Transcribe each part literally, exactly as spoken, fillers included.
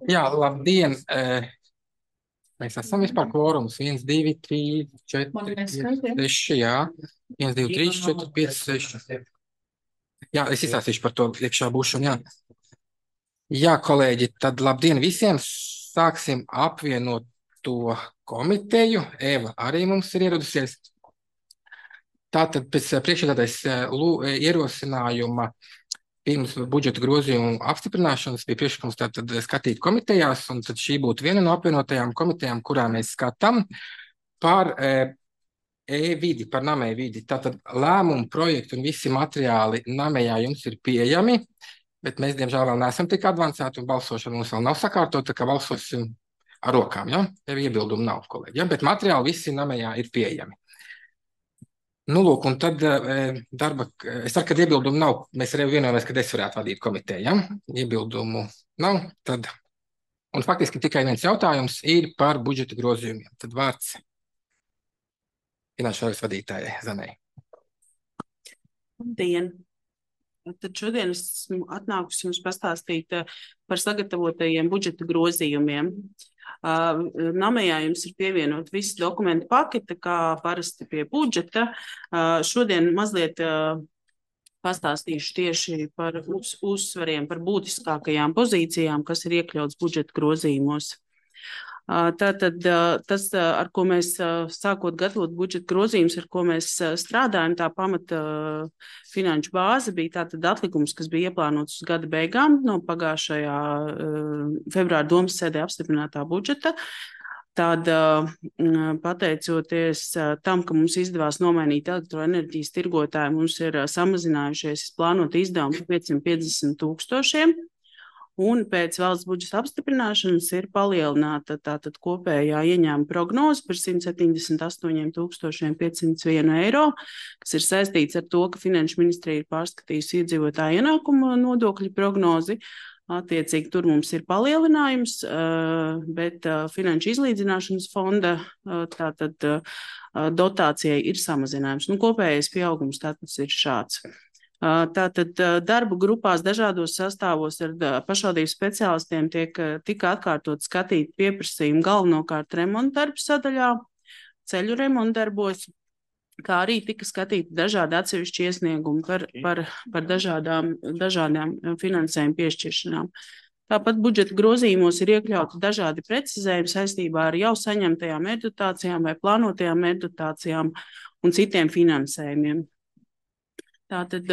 Jā, labdien! Mēs esam vispār kvorums. viens, divi, trīs, četri, pieci, seši, jā. viens, divi, trīs, četri, pieci, seši. Jā, es izstāstīšu par to iekšā būšanu, jā. Jā, kolēģi, tad labdien visiem! Sāksim apvienot to komiteju. Eva arī mums ir ieradusies. Tātad pēc priekšsēdētājas ierosinājuma pirms budžeta grozījumu apstiprināšanas bija priekšlikums tātad skatīt komitejās, un tad šī būtu viena no apvienotajām komitejām, kurā mēs skatām par e-vidi, par namēju vidi. Tātad lēmumu projektu un visi materiāli namējā jums ir pieejami, bet mēs, diemžēl, vēl neesam tik advancēti, un balsošana mums vēl nav sakārtota, tā kā balsosim ar rokām, ja? Tev iebildumu nav, kolēģi, ja? Bet materiāli visi namējā ir pieejami. Nu, lūk, un tad darba, es ceru, ka iebildumu nav, mēs arī vienojamies, ka es varētu vadīt komiteju, ja? Iebildumu nav, tad, un faktiski tikai viens jautājums ir par budžeta grozījumiem. Tad vārds finanšu šāras vadītājai Zanai. Labdien! Tad šodien es esmu atnākusi jums pastāstīt par sagatavotajiem budžeta grozījumiem. Namējā jums ir pievienot visi dokumentu pakete, kā parasti pie budžeta. Šodien mazliet pastāstīšu tieši par uz, uzsvariem, par būtiskākajām pozīcijām, kas ir iekļauts budžeta grozījumos. Tātad tas, ar ko mēs sākot gatavot budžeta grozījumus, ar ko mēs strādājam, tā pamata finanšu bāze bija tātad atlikums, kas bija ieplānots uz gada beigām no pagājušajā februāra domas sēdē apstiprinātā budžeta. Tad, pateicoties tam, ka mums izdevās nomainīt elektroenerģijas tirgotāju, mums ir samazinājušies plānot izdevumi piecsimt piecdesmit tūkstošiem. Un pēc valsts budžeta apstiprināšanas ir palielināta tātad kopējā ieņēmuma prognoze par simt septiņdesmit astoņiem tūkstošiem piecsimt vienu eiro, kas ir saistīts ar to, ka Finanšu ministrija ir pārskatījusi iedzīvotāju ienākumu nodokļu prognozi. Attiecīgi tur mums ir palielinājums, bet Finanšu izlīdzināšanas fonda tātad dotācijai ir samazinājums. Nu, kopējais pieaugums tātad ir šāds. Tātad darbu grupās dažādos sastāvos ar pašvaldību speciālistiem tiek tika atkārtot skatīt pieprasījumu galvenokārt remontdarbu sadaļā, ceļu remontdarbos, kā arī tika skatīti dažādi atsevišķi iesniegumi par, par, par dažādām, dažādām finansējuma piešķiršanām. Tāpat budžeta grozījumos ir iekļauti dažādi precizējumi saistībā ar jau saņemtajām mērķdotācijām vai plānotajām mērķdotācijām un citiem finansējumiem. Tātad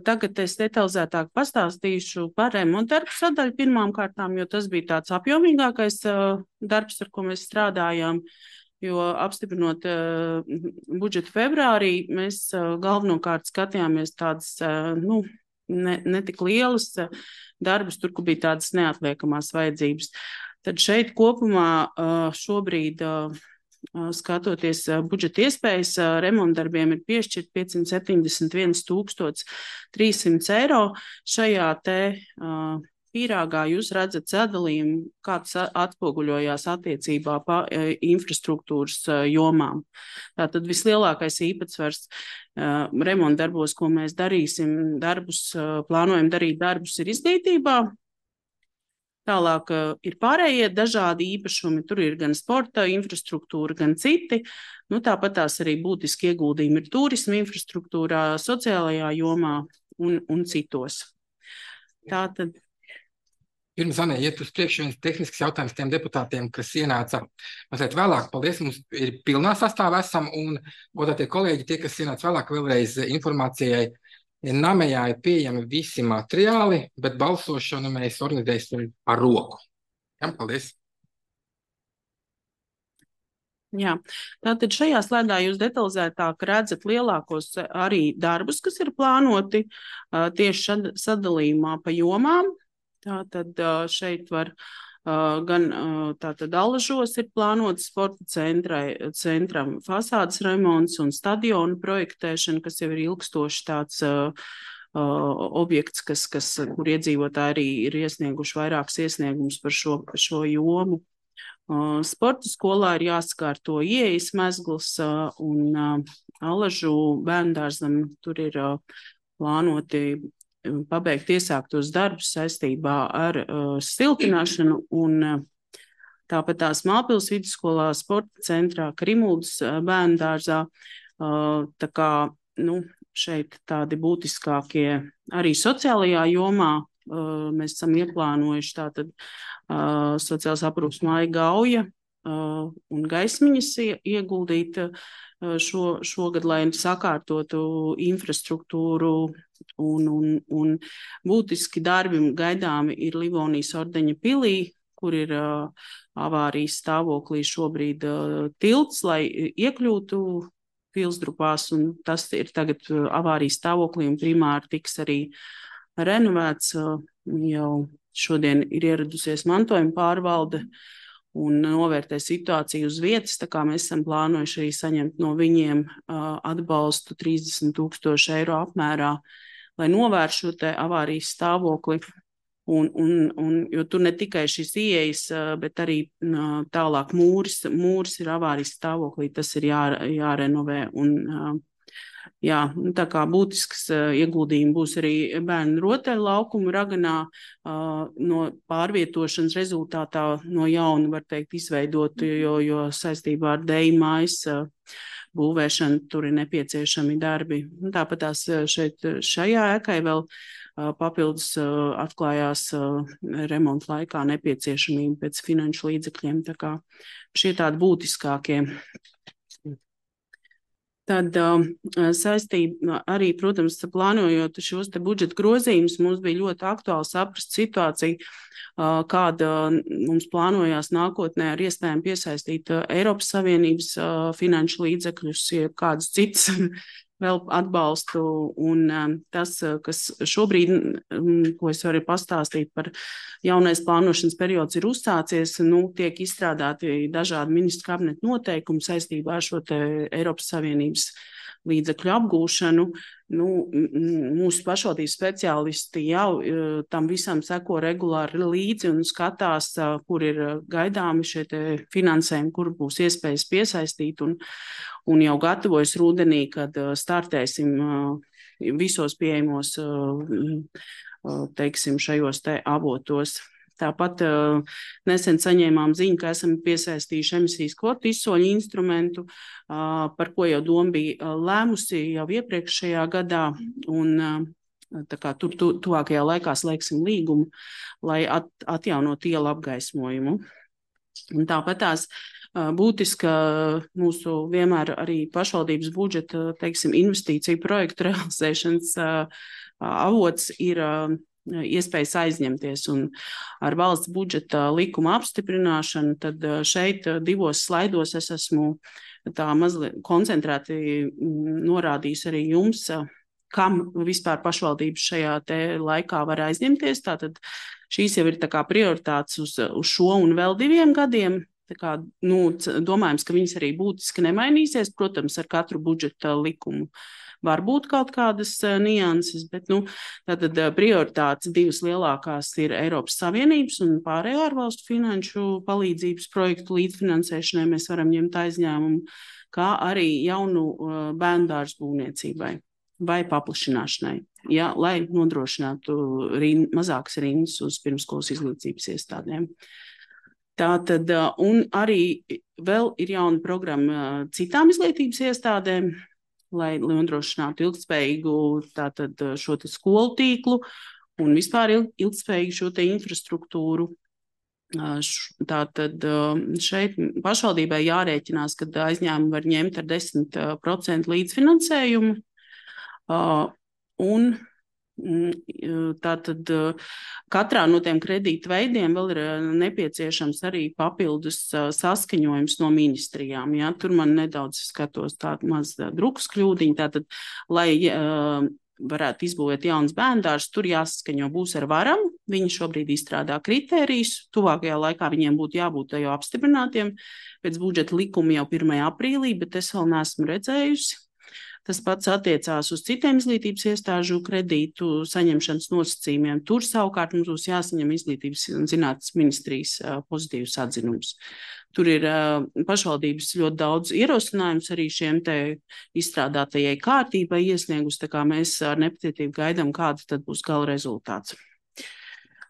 tagad es detalizētāk pastāstīšu par remontdarbu sadaļu pirmām kārtām, jo tas bija tāds apjomīgākais darbs, ar ko mēs strādājām, jo apstiprinot budžetu februārī, mēs galvenokārt skatījāmies tādas, nu, ne, ne tik lielas darbus, tur, kur bija tādas neatliekamās vajadzības. Tad šeit kopumā šobrīd skatoties budžeta iespējas, remontdarbiem ir piešķirt piecsimt septiņdesmit viens tūkstotis trīs simts eiro. Šajā te uh, pīrāgā jūs redzat sadalījumu, kāds atspoguļojās attiecībā pa uh, infrastruktūras uh, jomām. Tātad vislielākais īpatsvars uh, remontdarbos, ko mēs darīsim, darbus, uh, plānojam darīt darbus, ir izglītībā. Tālāk uh, ir pārējie dažādi īpašumi, tur ir gan sporta infrastruktūra, gan citi. Nu, tāpat tās arī būtiski ieguldījumi ir turisma infrastruktūrā, sociālajā jomā un, un citos. Tātad. Pirms, Anē, iet uz priekšu viens tehnisks jautājums tiem deputātiem, kas ienāca mazliet vēlāk. Paldies, mums ir pilnā sastāvā esam, un godātie kolēģi, tie, kas ienāca vēlāk, vēlreiz informācijai. Namējā ir pieejami visi materiāli, bet balsošanu mēs organizēsim ar roku. Jā, paldies. Jā, tātad šajā slaidā jūs detalizētāk redzat lielākos arī darbus, kas ir plānoti tieši sadalījumā pa jomām. Tātad šeit var gan tātad Alažos ir plānots sporta centrai, centram fasādes remonts un stadionu projektēšana, kas jau ir ilgstoši tāds uh, objekts, kas, kas, kur iedzīvotāji arī ir iesnieguši vairākus iesniegumus par šo, šo jomu. Uh, sporta skolā ir jāsakārto ieejas mezgls uh, un uh, Alažu bērndārzam tur ir uh, plānoti pabeigt iesāktos darbus saistībā ar uh, siltināšanu un uh, tāpat tās Mālpils vidusskolā, sporta centrā, Krimuldas uh, bērnu dārzā. Uh, tā kā, nu, šeit tādi būtiskākie arī sociālajā jomā uh, mēs esam ieplānojuši tātad uh, sociālās aprūpes māja Gauja uh, un Gaismiņas ieguldīt uh, Šo, šogad, lai sakārtotu infrastruktūru un, un, un būtiski darbi gaidāmi ir Livonijas ordeņa pilī, kur ir uh, avārijas stāvoklī šobrīd uh, tilts, lai iekļūtu Pilsdrupās, un tas ir tagad uh, avārijas stāvoklī un primāri tiks arī renovēts. Uh, jau šodien ir ieradusies mantojuma pārvalde un novērtē situāciju uz vietas, tā kā mēs esam plānojuši arī saņemt no viņiem uh, atbalstu trīsdesmit tūkstoši eiro apmērā, lai novērš šo te avārijas stāvokli. Un, un, un, jo tur ne tikai šis ieejas, uh, bet arī uh, tālāk mūris, mūris ir avārijas stāvoklī, tas ir jā, jārenovē. Un, uh, jā, tā kā būtisks uh, ieguldījumi būs arī bērnu rotaļu laukumu Raganā, uh, no pārvietošanas rezultātā no jauna, var teikt, izveidot, jo, jo saistībā ar deju mājas uh, būvēšanu tur ir nepieciešami darbi. Un tāpat tās šeit šajā ēkai vēl uh, papildus uh, atklājās uh, remonta laikā nepieciešamība pēc finanšu līdzekļiem. Tā kā šie tādi būtiskākie. Tad uh, saistība arī, protams, plānojot šos te budžeta grozījumus, mums bija ļoti aktuāli saprast situāciju, uh, kāda mums plānojās nākotnē ar iespējām piesaistīt uh, Eiropas Savienības uh, finanšu līdzekļus, ja kādas citas vēl atbalstu. Un um, tas, kas šobrīd, um, ko es varu pastāstīt par jaunais plānošanas periods ir uzsācies, nu, tiek izstrādāti dažādi ministru kabineta noteikumi saistībā ar šo te Eiropas Savienības līdzekļu apgūšanu. Nu, mūsu pašvaldības speciālisti jau tam visam seko regulāri līdzi un skatās, kur ir gaidāmi šie te finansējumi, kur būs iespējas piesaistīt, un, un jau gatavojas rudenī, kad startēsim visos pieejamos, teiksim, šajos te avotos. Tāpat uh, nesen saņēmām ziņu, ka esam piesaistījuši emisijas kvotu izsoļu instrumentu, uh, par ko jau doma bija lēmusi jau iepriekšējā gadā, un uh, tā kā tur tu, tuvākajā laikā slēgsim līgumu, lai at, atjaunot ielu apgaismojumu. Un tāpat tās uh, būtiska mūsu vienmēr arī pašvaldības budžeta, teiksim, investīciju projektu realizēšanas uh, avots ir uh, iespējas aizņemties, un ar valsts budžeta likuma apstiprināšanu, tad šeit divos slaidos es esmu tā mazliet koncentrēti norādījis arī jums, kam vispār pašvaldības šajā te laikā var aizņemties. Tātad šīs jau ir tā kā prioritātes uz, uz šo un vēl diviem gadiem. Tā kā, nu, domājams, ka viņas arī būtiski nemainīsies, protams, ar katru budžeta likumu. Var būt kaut kādas uh, nianses, bet nu, tātad uh, prioritātes divas lielākās ir Eiropas Savienības un pārējo ārvalstu finanšu palīdzības projektu līdzfinansēšanai. Mēs varam ņemt aizņēmumu, kā arī jaunu uh, bērndārzu būvniecībai vai paplašināšanai, ja, lai nodrošinātu rind, mazākas rindas uz pirmskolas izglītības iestādēm. Tātad, uh, un arī vēl ir jauna programma uh, citām izglītības iestādēm, lai nodrošinātu ilgtspējīgu tātad šo te skolu tīklu un vispār ilgtspējīgu šo te infrastruktūru. Tātad šeit pašvaldībai jārēķinās, ka aizņēmumi var ņemt ar desmit procentu līdzfinansējumu. Un tātad katrā no tiem kredītu veidiem vēl ir nepieciešams arī papildus saskaņojums no ministrijām. Ja? Tur man nedaudz skatos tādu maz drukas kļūdiņu. Tātad, lai uh, varētu izbūvēt jaunas bērndārzs, tur jāsaskaņo būs ar varam. Viņi šobrīd izstrādā kritērijus. Tuvākajā laikā viņiem būtu jābūt jau apstiprinātiem pēc budžeta likuma jau pirmajā aprīlī, bet es vēl neesmu redzējusi. Tas pats attiecās uz citiem izglītības iestāžu kredītu saņemšanas nosacījumiem. Tur savukārt mums būs jāsaņem izglītības un zinātnes ministrijas pozitīvs atzinums. Tur ir uh, pašvaldības ļoti daudz ierosinājums arī šiem te izstrādātajai kārtībai iesniegus, tā kā mēs ar nepacietību gaidām, kāds tad būs gala rezultāts.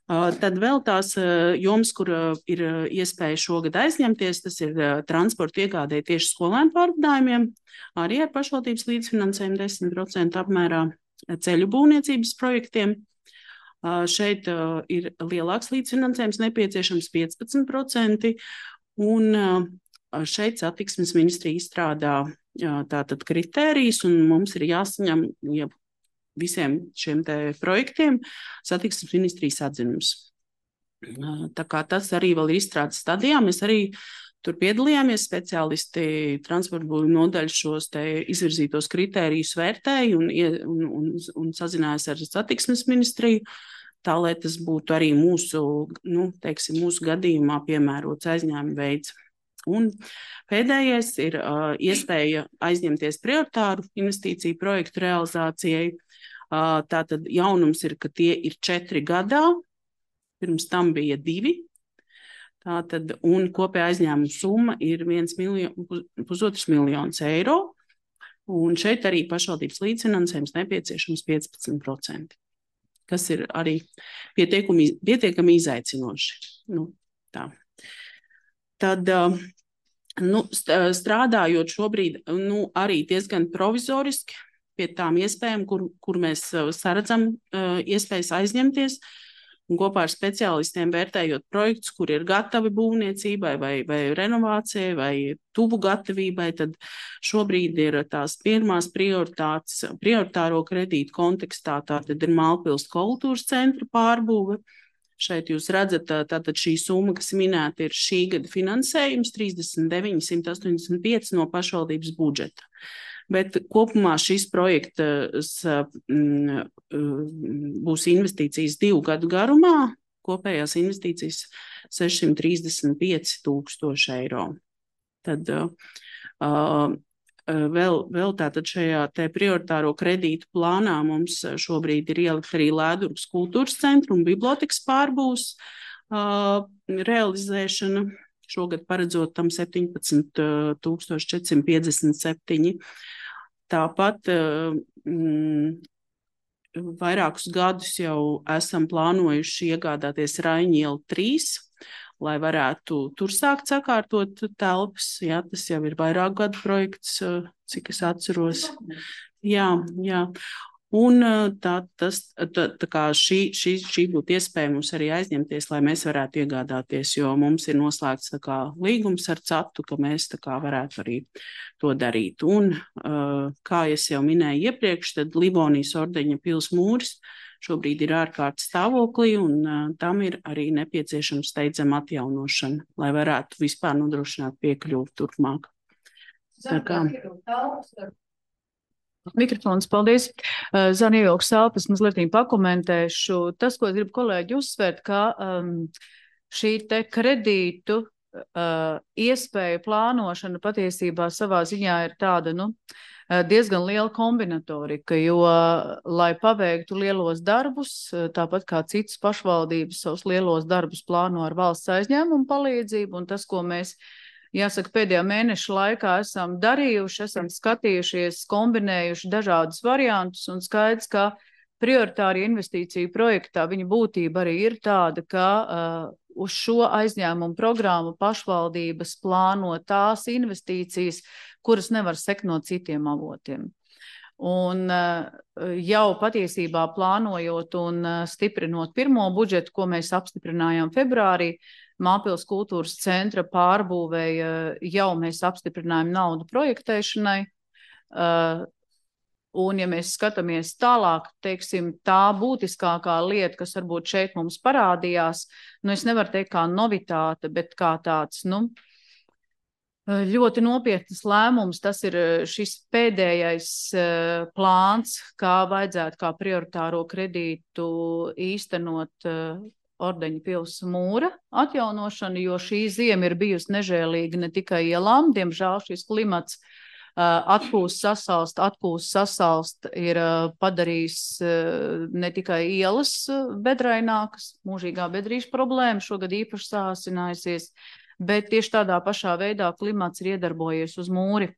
Uh, tad vēl tās uh, jomas, kur uh, ir uh, iespēja šogad aizņemties, tas ir uh, transporta iegādē tieši skolēnu pārvadājumiem, arī ar pašvaldības līdzfinansējumu desmit procentu apmērā ceļu būvniecības projektiem. Uh, šeit uh, ir lielāks līdzfinansējums nepieciešams piecpadsmit procenti. Un šeit satiksmes ministrija izstrādā tātad kritērijus, un mums ir jāsaņem ja visiem šiem te projektiem satiksmes ministrijas atzinums. Tā kā tas arī vēl ir izstrādes stadijā, mēs arī tur piedalījāmies, speciālisti transporta būvju nodaļas šos te izvirzītos kritērijus vērtēja un, un, un, un sazinājās ar satiksmes ministriju, tā, lai tas būtu arī mūsu, nu, teiksim, mūsu gadījumā piemērots aizņēmuma veids. Un pēdējais ir uh, iespēja aizņemties prioritāru investīciju projektu realizācijai. Uh, tātad jaunums ir, ka tie ir četri gadā, pirms tam bija divi. Tātad, un kopējā aizņēmuma summa ir viens miljon, pusotrs miljonus eiro. Un šeit arī pašvaldības līdzfinansējums nepieciešams piecpadsmit procenti. Kas ir arī pietiekami, pietiekami izaicinoši. Nu, tā. Tad, nu, strādājot šobrīd, nu, arī diezgan provizoriski pie tām iespējām, kur, kur mēs saredzam iespējas aizņemties, un kopā ar speciālistiem vērtējot projektus, kur ir gatavi būvniecībai vai, vai renovācijai vai tuvu gatavībai, tad šobrīd ir tās pirmās prioritātes, prioritāro kredītu kontekstā, tātad ir Mālpils kultūras centra pārbūve. Šeit jūs redzat, tātad šī summa, kas minēta, ir šī gada finansējums, trīsdesmit deviņi simti astoņdesmit pieci no pašvaldības budžeta. Bet kopumā šis projekts mm, būs investīcijas divu gadu garumā, kopējās investīcijas sešsimt trīsdesmit pieci tūkstoši eiro. Tad uh, vēl, vēl tātad šajā te prioritāro kredītu plānā mums šobrīd ir ielikt arī Lēdurgas kultūras centru un bibliotekas pārbūs uh, realizēšana. Šogad paredzot tam septiņpadsmit tūkstoši četrsimt piecdesmit septiņi. Tāpat mm, vairākus gadus jau esam plānojuši iegādāties Raņielu trīs, lai varētu tur sākt sakārtot telpas. Jā, tas jau ir vairāk gadu projekts, cik es atceros. Jā, jā. Un tā, tas, tā, tā kā šī, šī, šī būtu iespēja mums arī aizņemties, lai mēs varētu iegādāties, jo mums ir noslēgts tā kā līgums ar catu, ka mēs tā kā varētu arī to darīt. Un, kā es jau minēju iepriekš, tad Livonijas ordeņa pils mūris šobrīd ir ārkārtas stāvoklī, un tam ir arī nepieciešams steidzama atjaunošana, lai varētu vispār nodrošināt piekļuvi turpmāk. Tā kā... Mikrofons, paldies. Zana ievilks elpas, mazliet pakomentēšu. Tas, ko es gribu kolēģi uzsvērt, ka um, šī te kredītu uh, iespēja plānošana patiesībā savā ziņā ir tāda, nu, diezgan liela kombinatorika, jo, lai paveiktu lielos darbus, tāpat kā citas pašvaldības savus lielos darbus plāno ar valsts aizņēmumu palīdzību, un tas, ko mēs jāsaka, pēdējā mēneša laikā esam darījuši, esam skatījušies, kombinējuši dažādus variantus, un skaidrs, ka prioritāri investīciju projektā viņa būtība arī ir tāda, ka uh, uz šo aizņēmumu programmu pašvaldības plāno tās investīcijas, kuras nevar sekt no citiem avotiem. Un uh, jau patiesībā plānojot un uh, stiprinot pirmo budžetu, ko mēs apstiprinājām februārī, Mālpils kultūras centra pārbūvēja, jau mēs apstiprinājām naudu projektēšanai. Uh, un, ja mēs skatāmies tālāk, teiksim, tā būtiskākā lieta, kas varbūt šeit mums parādījās, nu, es nevaru teikt kā novitāte, bet kā tāds, nu, ļoti nopietnas lēmums, tas ir šis pēdējais uh, plāns, kā vajadzētu kā prioritāro kredītu īstenot uh, Ordeņa pils mūra atjaunošanu, jo šī ziema ir bijusi nežēlīga ne tikai ielām, diemžēl šis klimats Atpūst, sasalst, atpūst, sasalst ir padarījis ne tikai ielas bedrainākas, mūžīgā bedrīša problēma šogad īpaši sāsinājusies, bet tieši tādā pašā veidā klimats ir iedarbojies uz mūri.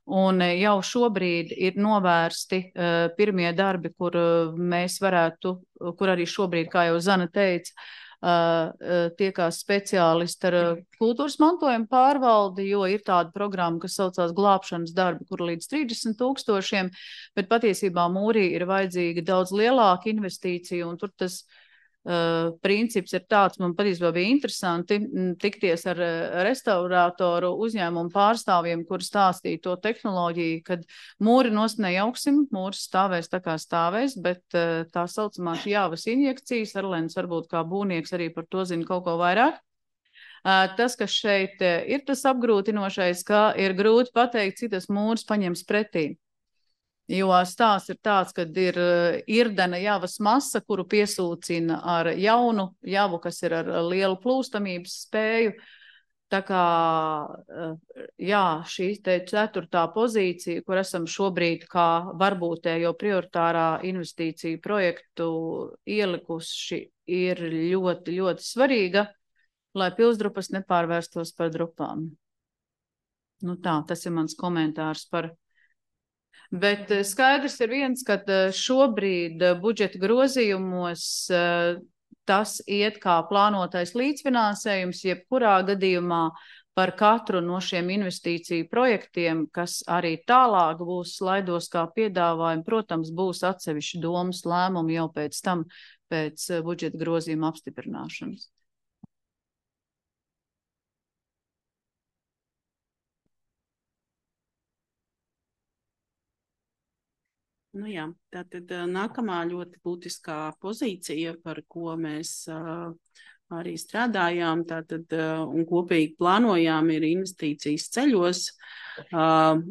Un jau šobrīd ir novērsti uh, pirmie darbi, kur uh, mēs varētu, kur arī šobrīd, kā jau Zana teica, uh, uh, tiekās speciālisti ar uh, kultūras mantojuma pārvaldi, jo ir tāda programma, kas saucās glābšanas darbi, kur līdz trīsdesmit tūkstošiem, bet patiesībā mūrī ir vajadzīga daudz lielāka investīcija, un tur tas Uh, princips ir tāds, man patiesībā bija interesanti m, tikties ar uh, restaurātoru uzņēmumu pārstāvjiem, kur stāstīja to tehnoloģiju, kad mūri nost nejauksim, mūris stāvēs tā kā stāvēs, bet uh, tā saucamās jāvas injekcijas, Arlēns varbūt kā būvnieks arī par to zina kaut ko vairāk. Uh, tas, kas šeit uh, ir tas apgrūtinošais, ka ir grūti pateikt, cik tas mūris paņems pretī. Jo stāsts ir tāds, ka ir irdena javas masa, kuru piesūcina ar jaunu javu, kas ir ar lielu plūstamības spēju. Tā kā, jā, šī te ceturtā pozīcija, kur esam šobrīd kā varbūtējo prioritārā investīciju projektu ielikuši, ir ļoti, ļoti svarīga, lai Pilsdrupas nepārvērstos par drupām. Nu tā, tas ir mans komentārs par. Bet skaidrs ir viens, ka šobrīd budžeta grozījumos tas iet kā plānotais līdzfinansējums, jebkurā gadījumā par katru no šiem investīciju projektiem, kas arī tālāk būs slaidos kā piedāvājumi, protams, būs atsevišķi domas lēmumi jau pēc tam, pēc budžeta grozījuma apstiprināšanas. Nu jā, tātad nākamā ļoti būtiskā pozīcija, par ko mēs uh, arī strādājām, tātad uh, un kopīgi plānojām, ir investīcijas ceļos. Uh,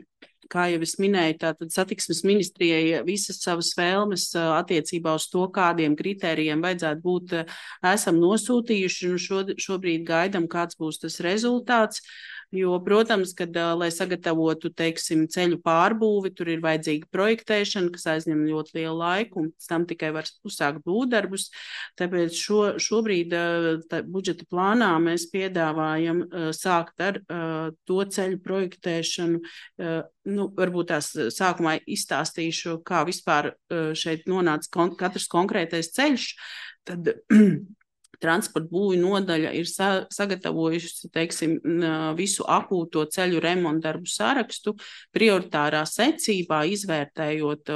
kā jau es minēju, tātad satiksmes ministrijai visas savas vēlmes uh, attiecībā uz to, kādiem kritērijiem vajadzētu būt, uh, esam nosūtījuši, un šo, šobrīd gaidam, kāds būs tas rezultāts. Jo, protams, kad, lai sagatavotu, teiksim, ceļu pārbūvi, tur ir vajadzīga projektēšana, kas aizņem ļoti lielu laiku, un pēc tam tikai var uzsākt būvdarbus. Tāpēc šo, šobrīd tā, budžeta plānā mēs piedāvājam sākt ar to ceļu projektēšanu. Nu, varbūt tās sākumā izstāstīšu, kā vispār šeit nonāca kon- katrs konkrētais ceļš. Tad transporta būvju nodaļa ir sa- sagatavojusi, teiksim, visu akūto ceļu remontu darbu sarakstu, prioritārā secībā, izvērtējot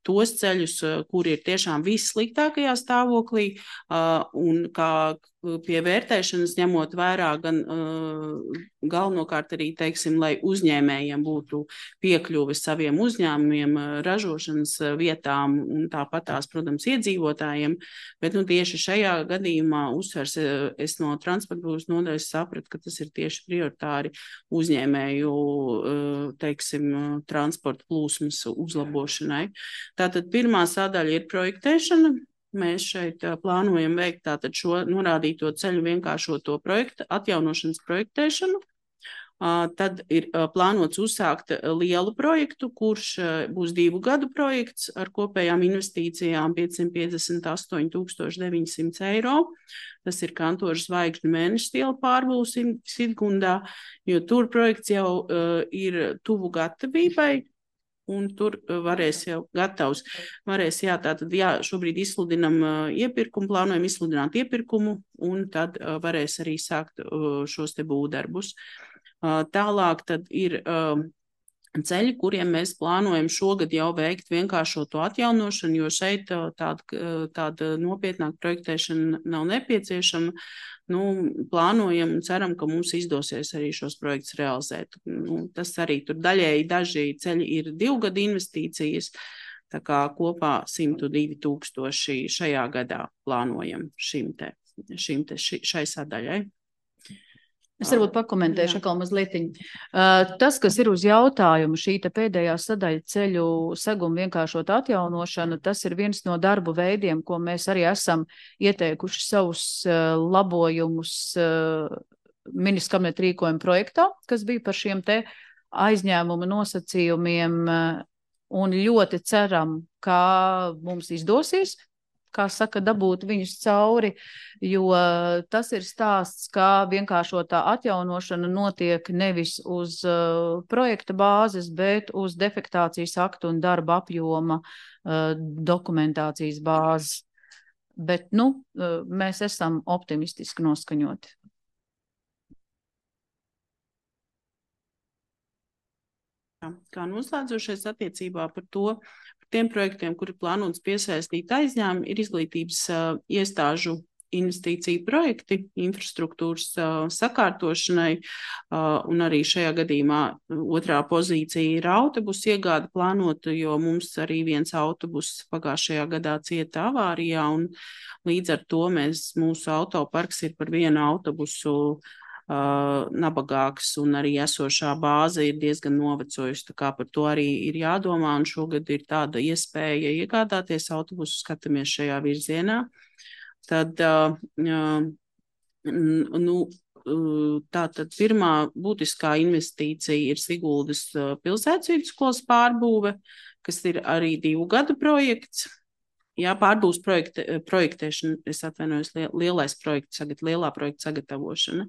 tos ceļus, kuri ir tiešām vissliktākajā stāvoklī, un kā pie vērtēšanas ņemot vērā gan uh, galvenokārt arī, teiksim, lai uzņēmējiem būtu piekļuve saviem uzņēmumiem, ražošanas vietām un tāpat tās, protams, iedzīvotājiem, bet nu, tieši šajā gadījumā uzsvers es no transporta būvniecības nodaļas sapratu, ka tas ir tieši prioritāri uzņēmēju, uh, teiksim, transporta plūsmas uzlabošanai. Tātad pirmā sadaļa ir projektēšana. Mēs šeit plānojam veikt tātad šo norādīto ceļu vienkāršoto projektu, atjaunošanas projektēšanu. Tad ir plānots uzsākt lielu projektu, kurš būs divu gadu projekts ar kopējām investīcijām piecsimt piecdesmit astoņi tūkstoši deviņi simti eiro. Tas ir Kantoru zvaigžņu mēneša iela pārbūves Sidgundā, jo tur projekts jau uh, ir tuvu gatavībai. Un tur varēs jau gatavs. Varēs, jā, tātad, jā, šobrīd izsludinam uh, iepirkumu, plānojam izsludināt iepirkumu, un tad uh, varēs arī sākt uh, šos te būvdarbus. Uh, tālāk tad ir uh, ceļi, kuriem mēs plānojam šogad jau veikt vienkāršoto atjaunošanu, jo šeit uh, tāda, tāda nopietnāka projektēšana nav nepieciešama. Nu, plānojam un ceram, ka mums izdosies arī šos projektus realizēt. Nu, tas arī tur daļēji daži ceļi ir divu gadu investīcijas, tā kā kopā simt divi tūkstoši šajā gadā plānojam šim te, šim te, ši, šai sadaļai. Es varbūt pakomentēšu atkal mazlietiņ. Uh, tas, kas ir uz jautājumu, šī te pēdējā sadaļa ceļu seguma vienkāršot atjaunošanu, tas ir viens no darbu veidiem, ko mēs arī esam ieteikuši savus uh, labojumus uh, ministra kabineta rīkojuma projektā, kas bija par šiem te aizņēmuma nosacījumiem un ļoti ceram, ka mums izdosies, kā saka, dabūt viņus cauri, jo tas ir stāsts, kā vienkāršotā atjaunošana notiek nevis uz uh, projekta bāzes, bet uz defektācijas aktu un darba apjoma uh, dokumentācijas bāzes. Bet, nu, uh, mēs esam optimistiski noskaņoti. Kā noslēdzošais attiecībā par to, par tiem projektiem, kuri plānots piesaistīt aizņēmumu, ir izglītības uh, iestāžu investīciju projekti infrastruktūras uh, sakārtošanai, uh, un arī šajā gadījumā otrā pozīcija ir autobusu iegāde plānota, jo mums arī viens autobus pagājušajā gadā cieta avārijā, un līdz ar to mēs, mūsu autoparks ir par vienu autobusu Uh, nabagāks, un arī esošā bāze ir diezgan novecojusi, tā kā par to arī ir jādomā, un šogad ir tāda iespēja iegādāties autobusu, skatāmies šajā virzienā. Tad, uh, uh, nu, uh, tātad pirmā būtiskā investīcija ir Siguldas uh, pilsētas vidusskolas pārbūve, kas ir arī divu gadu projekts. Jā, pārbūves projekte, projektēšana, es atvainojos, lielais projekts, sagat, lielā projekta sagatavošana.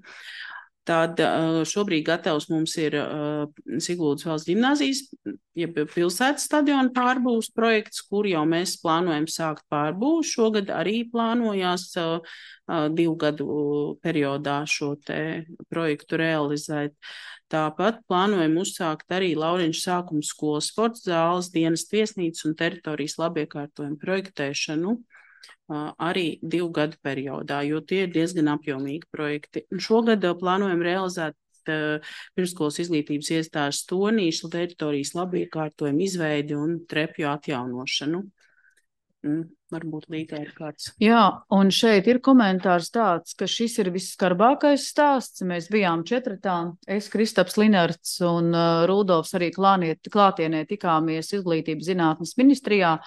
Tad šobrīd gatavs mums ir uh, Siguldas valsts ģimnāzijas, jeb pilsētas stadiona pārbūves projekts, kur jau mēs plānojam sākt pārbūvu. Šogad arī plānojās uh, uh, divu gadu periodā šo te projektu realizēt. Tāpat plānojam uzsākt arī Laureņšu sākuma skolas sporta zāles, dienas viesnīcas un teritorijas labiekārtojumu projektēšanu uh, arī divu gadu periodā, jo tie ir diezgan apjomīgi projekti. Un šogad uh, plānojam realizēt uh, pirmsskolas izglītības iestāžu Stonīšu teritorijas labiekārtojumu izveidi un trepju atjaunošanu. Mm. Varbūt Līgai ir kāds. Jā, un šeit ir komentārs tāds, ka šis ir visskarbākais stāsts. Mēs bijām četratā, es, Kristaps Linarts un uh, Rudolfs arī klāniet, klātienē tikāmies izglītības zinātnes ministrijā.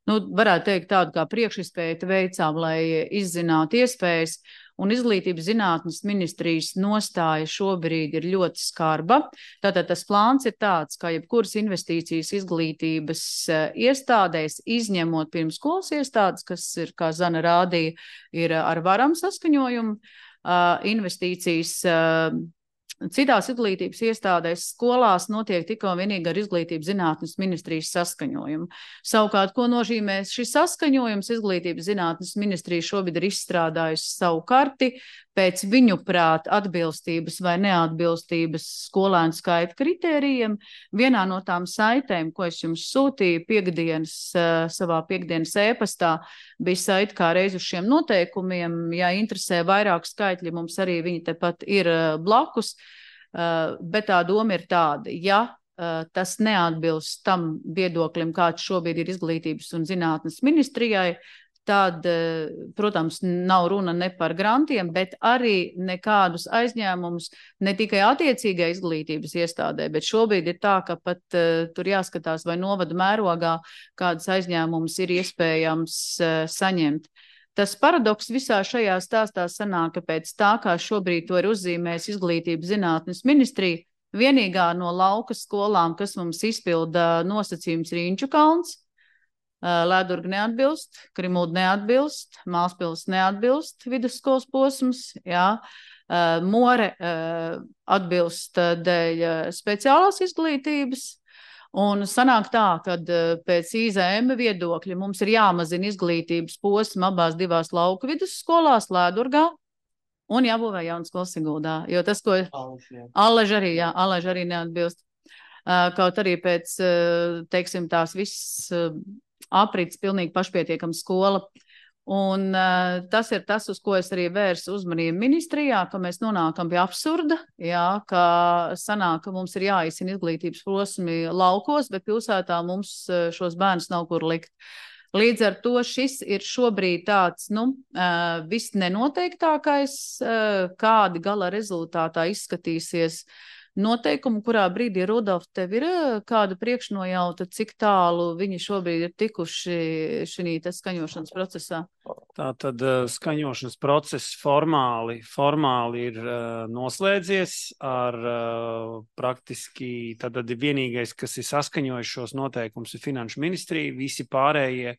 Nu, varētu teikt tādu kā priekšispēju veicām, lai izzinātu iespējas. Un izglītības zinātnes ministrijas nostāja šobrīd ir ļoti skarba. Tātad tas plāns ir tāds, kā jebkuras investīcijas izglītības iestādēs, izņemot pirmsskolas iestādes, kas ir, kā Zana rādīja, ir ar varam saskaņojumu, investīcijas citās izglītības iestādēs skolās notiek tikai un vienīgi ar izglītības zinātnes ministrijas saskaņojumu. Savukārt, ko nozīmē šis saskaņojums, izglītības zinātnes ministrija šobrīd ir izstrādājusi savu karti pēc viņu prāt atbilstības vai neatbilstības skolēnu skaita kritērijiem. Vienā no tām saitēm, ko es jums sūtīju piekdienas, savā piekdienas ēpastā, bija saita kā reiz uz šiem noteikumiem. Ja interesē vairāk skaitļi, mums arī viņi tepat ir blakus, bet tā doma ir tāda, ja tas neatbilst tam viedoklim, kāds šobrīd ir izglītības un zinātnes ministrijai, tad, protams, nav runa ne par grantiem, bet arī nekādus aizņēmumus ne tikai attiecīgai izglītības iestādē, bet šobrīd ir tā, ka pat uh, tur jāskatās, vai novada mērogā kādas aizņēmumus ir iespējams uh, saņemt. Tas paradoks visā šajā stāstā sanāk, ka pēc tā, kā šobrīd to ir uzzīmējis izglītības zinātnes ministrija, vienīgā no lauka skolām, kas mums izpilda nosacījums, Rīņķu kalns, Lēdurga neatbilst, Krimulda neatbilst, Mālspils neatbilst, vidusskolas posms, jā, More atbilst dēļ speciālās izglītības, un sanāk tā, kad pēc I Z M viedokļa mums ir jāmazina izglītības posma abās divās lauku vidusskolās, Lēdurgā, un jābūvē jauna skola Siguldā, jo tas, ko Allež arī, jā, Allež arī neatbilst. Kaut arī pēc, teiksim, tās viss aprits pilnīgi pašpietiekama skola. Un uh, tas ir tas, uz ko es arī vērsu uzmanību ministrijā, ka mēs nonākam pie absurda, jā, ka sanāk, ka mums ir jāizcina izglītības posmi laukos, bet pilsētā mums šos bērnus nav kur likt. Līdz ar to šis ir šobrīd tāds, nu, uh, viss nenoteiktākais, uh, kādi gala rezultātā izskatīsies noteikumu, kurā brīdī, Rudolf, tev ir kāda priekšnojauta, cik tālu viņi šobrīd ir tikuši šī skaņošanas procesā? Tā tad skaņošanas process formāli, formāli ir uh, noslēdzies ar uh, praktiski, tad ir vienīgais, kas ir saskaņojis šos noteikumus, ir Finanšu ministrija, visi pārējie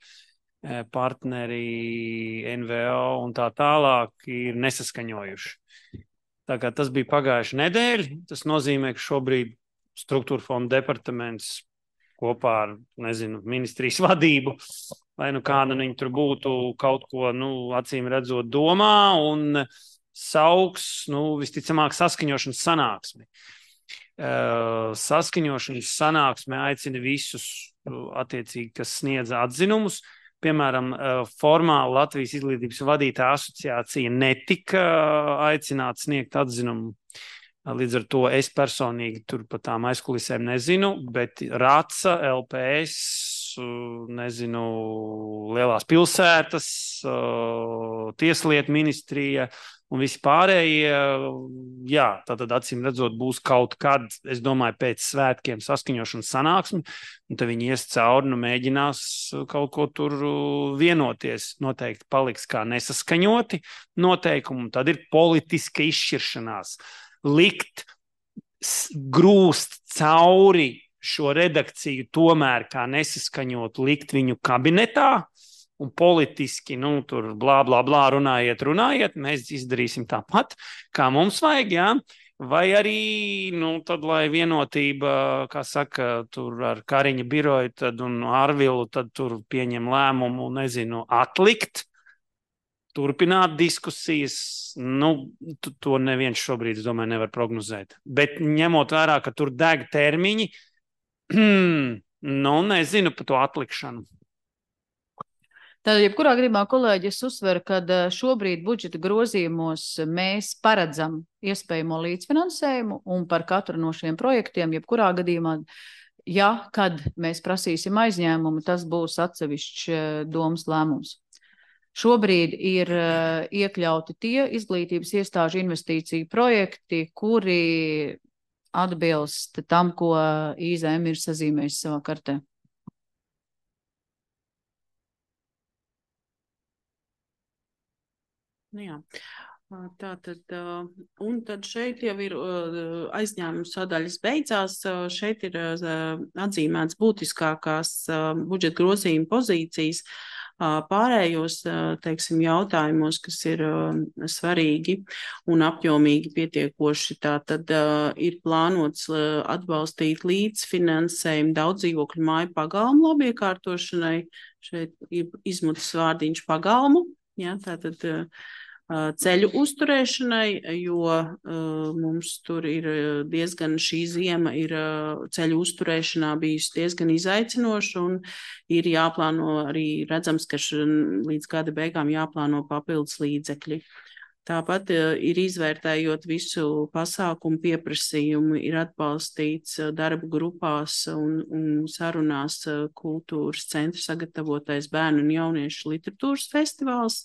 partneri, N V O un tā tālāk ir nesaskaņojuši. Tā kā tas bija pagājuši nedēļa, tas nozīmē, ka šobrīd struktūra fonda departaments kopā ar, nezinu, ministrijas vadību, vai nu kāda viņi tur būtu kaut ko, nu, acīm redzot domā un sauks, nu, visticamāk saskaņošanas sanāksmi. Uh, saskaņošanas sanāksme aicina visus, attiecīgi, kas sniedz atzinumus. Piemēram, formāli Latvijas izglītības vadītāja asociācija netika aicināta sniegt atzinumu. Līdz ar to es personīgi tur par tām aizkulisēm nezinu, bet RACA, L P S, nezinu, lielās pilsētas, Tieslietu ministrija un visi pārējie, jā, tātad acīm redzot būs kaut kad, es domāju, pēc svētkiem saskaņošanas sanāksmi, un tad viņi ies cauri, nu mēģinās kaut ko tur vienoties. Noteikti paliks kā nesaskaņoti noteikumi, tad ir politiska izšķiršanās. Likt, grūst cauri šo redakciju tomēr kā nesaskaņotu, likt viņu kabinetā, un politiski, nu, tur blā, blā, blā, runājiet, runājiet, mēs izdarīsim tāpat, kā mums vajag, jā, vai arī, nu, tad, lai vienotība, kā saka, tur ar Kariņa biroju, tad un Arvilu, tad tur pieņem lēmumu, nezinu, atlikt, turpināt diskusijas, nu, to neviens šobrīd, es domāju, nevar prognozēt. Bet ņemot vērā, ka tur deg termiņi, nu, nezinu par to atlikšanu. Tad, jebkurā gadījumā, kolēģi, es uzsveru, ka šobrīd budžeta grozījumos mēs paredzam iespējamo līdzfinansējumu un par katru no šiem projektiem, jebkurā gadījumā, ja, kad mēs prasīsim aizņēmumu, tas būs atsevišķs domas lēmums. Šobrīd ir iekļauti tie izglītības iestāžu investīciju projekti, kuri atbilst tam, ko I Z M ir sazīmējis savā kartē. Jā, tā tad, un tad šeit jau ir aizņēmuma sadaļas beidzās, šeit ir atzīmēts būtiskākās budžeta grozījuma pozīcijas, pārējos, teiksim, jautājumos, kas ir svarīgi un apjomīgi pietiekoši, tā tad ir plānots atbalstīt līdzfinansējumu daudzdzīvokļu māju pagalmu labiekārtošanai, šeit ir izmutas vārdiņš pagalmu, jā, tātad ceļu uzturēšanai, jo uh, mums tur ir diezgan šī ziema ir uh, ceļu uzturēšanā bijusi diezgan izaicinoša un ir jāplāno arī redzams, ka š, līdz gada beigām jāplāno papildus līdzekļi. Tāpat uh, ir izvērtējot visu pasākumu pieprasījumu, ir atbalstīts uh, darba grupās un, un sarunās uh, kultūras centra sagatavotais bērnu un jauniešu literatūras festivāls.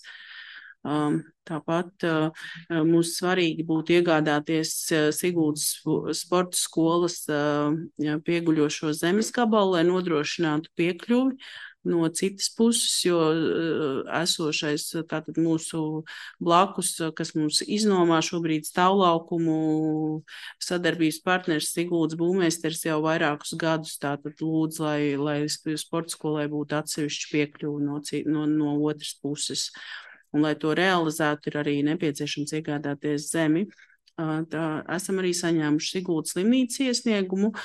Um, tāpat uh, mums svarīgi būtu iegādāties uh, Siguldas sporta skolas uh, pieguļošo zemes gabalu, lai nodrošinātu piekļuvi no citas puses, jo uh, esošais tātad mūsu blakus, kas mums iznomā šobrīd stāvlaukumu sadarbības partners Siguldas būvmeistars jau vairākus gadus, tātad lūdz, lai, lai sporta skolai būtu atsevišķi piekļuvi no, no, no otras puses. Un, lai to realizētu, ir arī nepieciešams iegādāties zemi. Tā, esam arī saņēmuši Siguldas slimnīcas iesniegumu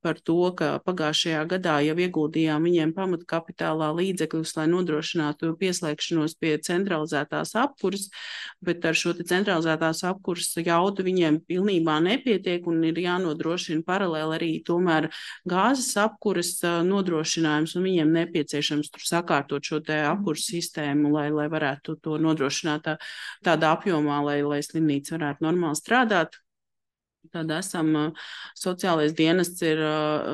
par to, ka pagājušajā gadā jau ieguldījām viņiem pamatkapitālā līdzekļus, lai nodrošinātu pieslēgšanos pie centralizētās apkuras, bet ar šo te centralizētās apkuras jaudu viņiem pilnībā nepietiek un ir jānodrošina paralēli arī tomēr gāzes apkuras nodrošinājums un viņiem nepieciešams tur sakārtot šo te apkuras sistēmu, lai, lai varētu to nodrošināt tā, tādā apjomā, lai, lai slimnīca varētu normāli strādāt. Tad esam, sociālais dienests ir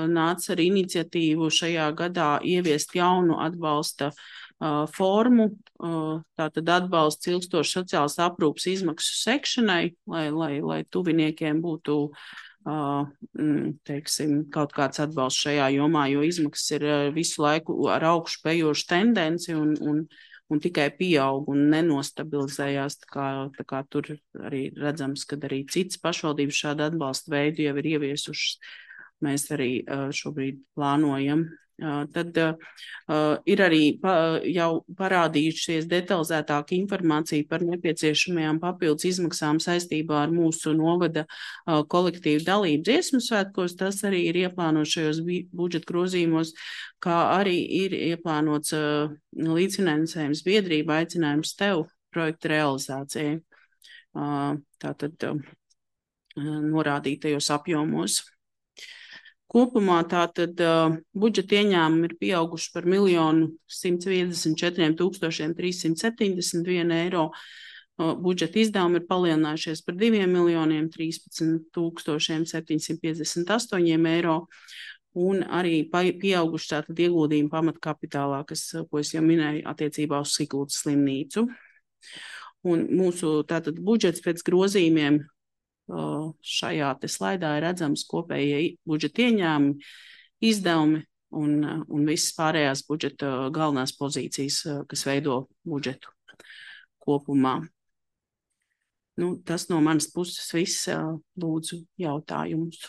nācis ar iniciatīvu šajā gadā ieviest jaunu atbalsta uh, formu, uh, tātad atbalsts ilgstoši sociālas aprūpas izmaksu sekšanai, lai, lai, lai tuviniekiem būtu teiksim, kaut kāds atbalsts šajā jomā, jo izmaksas ir visu laiku ar augšu pejošu tendenci un, un, un tikai pieaug un nenostabilizējās. Tā kā, tā kā tur arī redzams, ka arī citas pašvaldības šādu atbalstu veidu jau ir ieviesušas. Mēs arī šobrīd plānojam. Tad uh, ir arī pa, jau parādījušies detalizētāka informācija par nepieciešamajām papildus izmaksām saistībā ar mūsu novada uh, kolektīvu dalību dziesmu svētkos. Tas arī ir ieplānots šajos budžeta grozījumos, kā arī ir ieplānots uh, līdzfinansējums biedrība aicinājums tev projekta realizācijai. Uh, tātad uh, norādītajos apjomos. Kopumā tātad uh, budžeta ieņēmumi ir pieauguši par miljonu simt viedesmit četriem tūkstošiem trīssimt septiņdesmit vienu eiro. Uh, budžeta izdevumi ir palielinājušies par diviem miljoniem trīspadsmit tūkstošiem septiņsimt piecdesmit astoņiem eiro. Un arī pieauguši tātad ieguldījumi pamatkapitālā, kas, ko es jau minēju, attiecībā uz Siguldas slimnīcu. Un mūsu tātad budžets pēc grozījumiem šajā te slaidā ir redzams kopējie budžeta ieņēmumi, izdevumi un, un visas pārējās budžeta galvenās pozīcijas, kas veido budžetu kopumā. Nu, tas no manas puses viss, lūdzu jautājumus.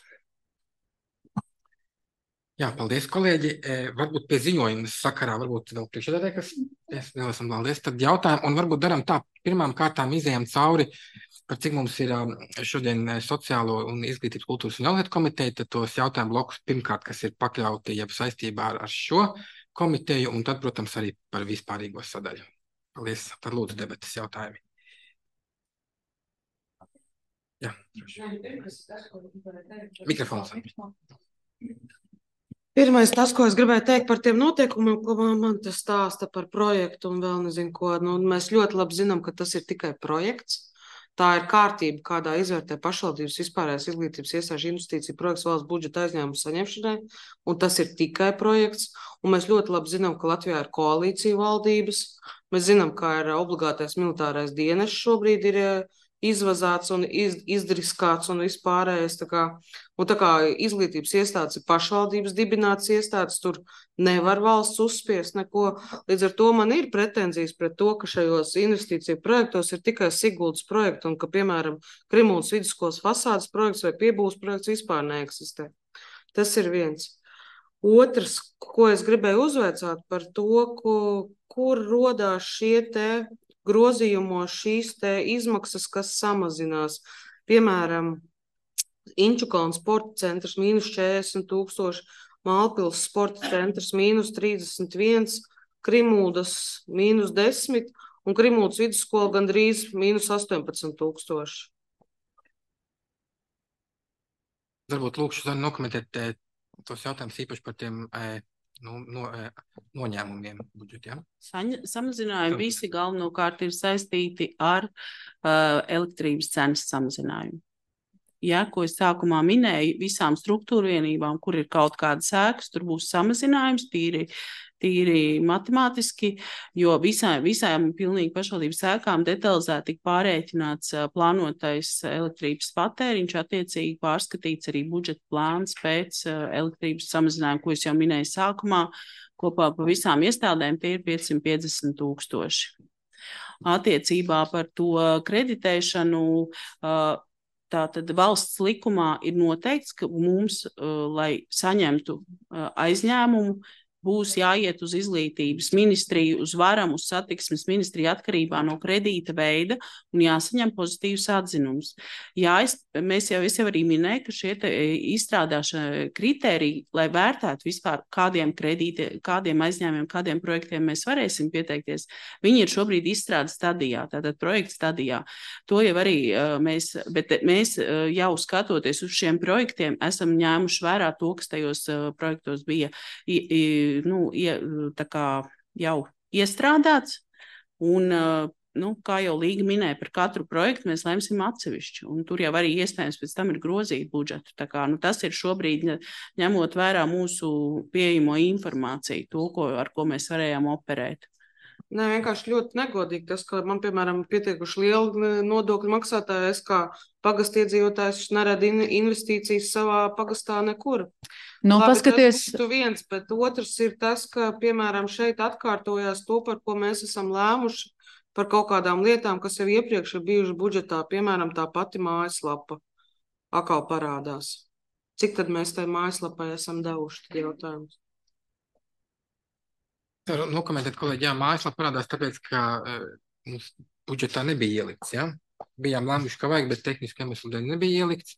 Jā, paldies, kolēģi. Varbūt pie ziņojuma sakarā, varbūt vēl priekšsēdētāji, kas es neesam paldies, tad jautājumu, un varbūt daram tā, pirmām kārtām izējām cauri, par cik mums ir šodien sociālo un izglītības kultūras un jaunlietu komiteja, tad tos jautājumu blokus pirmkārt, kas ir pakļauti jau saistībā ar, ar šo komiteju, un tad, protams, arī par vispārīgo sadaļu. Paldies, tad lūdzu debatas jautājumi. Jā, mikrofons. Pirmais tas, ko es gribēju teikt par tiem noteikumiem, ko man, man tas stāsta par projektu un vēl nezinu ko. Nu, mēs ļoti labi zinām, ka tas ir tikai projekts. Tā ir kārtība, kādā izvērtē pašvaldības vispārējās izglītības iestāžu investīciju projekts valsts budžeta aizņēmumu saņemšanai, un tas ir tikai projekts. Un mēs ļoti labi zinām, ka Latvijā ir koalīcija valdības. Mēs zinām, ka ir obligātais militārais dienests šobrīd ir izvazāts un iz, izdriskāts un vispārējais. Tā kā, un tā kā izglītības iestādes ir pašvaldības dibināts iestādes, tur nevar valsts uzspiest neko. Līdz ar to man ir pretenzijas pret to, ka šajos investīciju projektos ir tikai Siguldas projekti un ka, piemēram, Krimūnas vidusskolas fasādes projekts vai piebūves projekts vispār neeksistē. Tas ir viens. Otrs, ko es gribēju uzveicāt par to, ko, kur rodās šie te grozījumos šīs te izmaksas, kas samazinās. Piemēram, Inčukalna sporta centrs mīnus četrdesmit tūkstoši, Mālpils sporta centrs mīnus trīsdesmit viens, Krimūdas mīnus desmit un Krimūdas vidusskola gandrīz mīnus astoņpadsmit tūkstoši. Varbūt lūkšu Zani nokomentēt tos jautājumus īpaši par tiem Nu, no, noņēmumiem budžetā. Ja? Samazinājumi visi galvenokārt ir saistīti ar uh, elektrības cenas samazinājumu. Ja, ko es sākumā minēju, visām struktūra vienībām, kur ir kaut kāda sēkas, tur būs samazinājums, tīri, tīri matemātiski, jo visām, visām pilnīgi pašvaldības sēkām detalizēti tik pārēķināts uh, plānotais elektrības patēriņš, attiecīgi pārskatīts arī budžeta plāns pēc uh, elektrības samazinājuma, ko es jau minēju sākumā, kopā pa visām iestādēm tie ir piecsimt piecdesmit tūkstoši. Attiecībā par to kreditēšanu, uh, tātad valsts likumā ir noteikts, ka mums, uh, lai saņemtu uh, aizņēmumu, būs jāiet uz izglītības ministriju, uz varam, uz satiksmes ministriju atkarībā no kredīta veida un jāsaņem pozitīvs atzinums. Jā, es, mēs jau, es jau arī minēju, ka šie te izstrādāšana kritēriji, lai vērtētu vispār kādiem kredīti, kādiem aizņēmumiem, kādiem projektiem mēs varēsim pieteikties, viņi ir šobrīd izstrādes stadijā, tātad projekta stadijā. To jau arī mēs, bet mēs jau skatoties uz šiem projektiem, esam ņēmuši vērā to, kas tajos projektos bija i, i, nu, tā kā jau iestrādāts, un, nu, kā jau Līga minēja, par katru projektu mēs lemsim atsevišķi, un tur jau arī iespējams pēc tam ir grozīt budžetu. Tā kā, nu, tas ir šobrīd ņemot vērā mūsu pieejamo informāciju, to, ko, ar ko mēs varējām operēt. Nē, vienkārši ļoti negodīgi tas, ka man, piemēram, pietiekuši liela nodokļu maksātāja, es kā pagasta iedzīvotājs neradu investīcijas savā pagastā nekur. Nu, Labi, paskaties, tas būtu viens, bet otrs ir tas, ka, piemēram, šeit atkārtojās to, par ko mēs esam lēmuši, par kaut kādām lietām, kas jau iepriekš ir bijuši budžetā, piemēram, tā pati mājaslapa atkal parādās. Cik tad mēs tai mājaslapai esam devuši, tad jautājums? Nokomentēt, kolēģi, jā, mājaslapa parādās tāpēc, ka uh, mums budžetā nebija ielikts, jā. Bijām lēmuši, ka vajag, bet tehniski iemeslu dēļ nebija ielikts.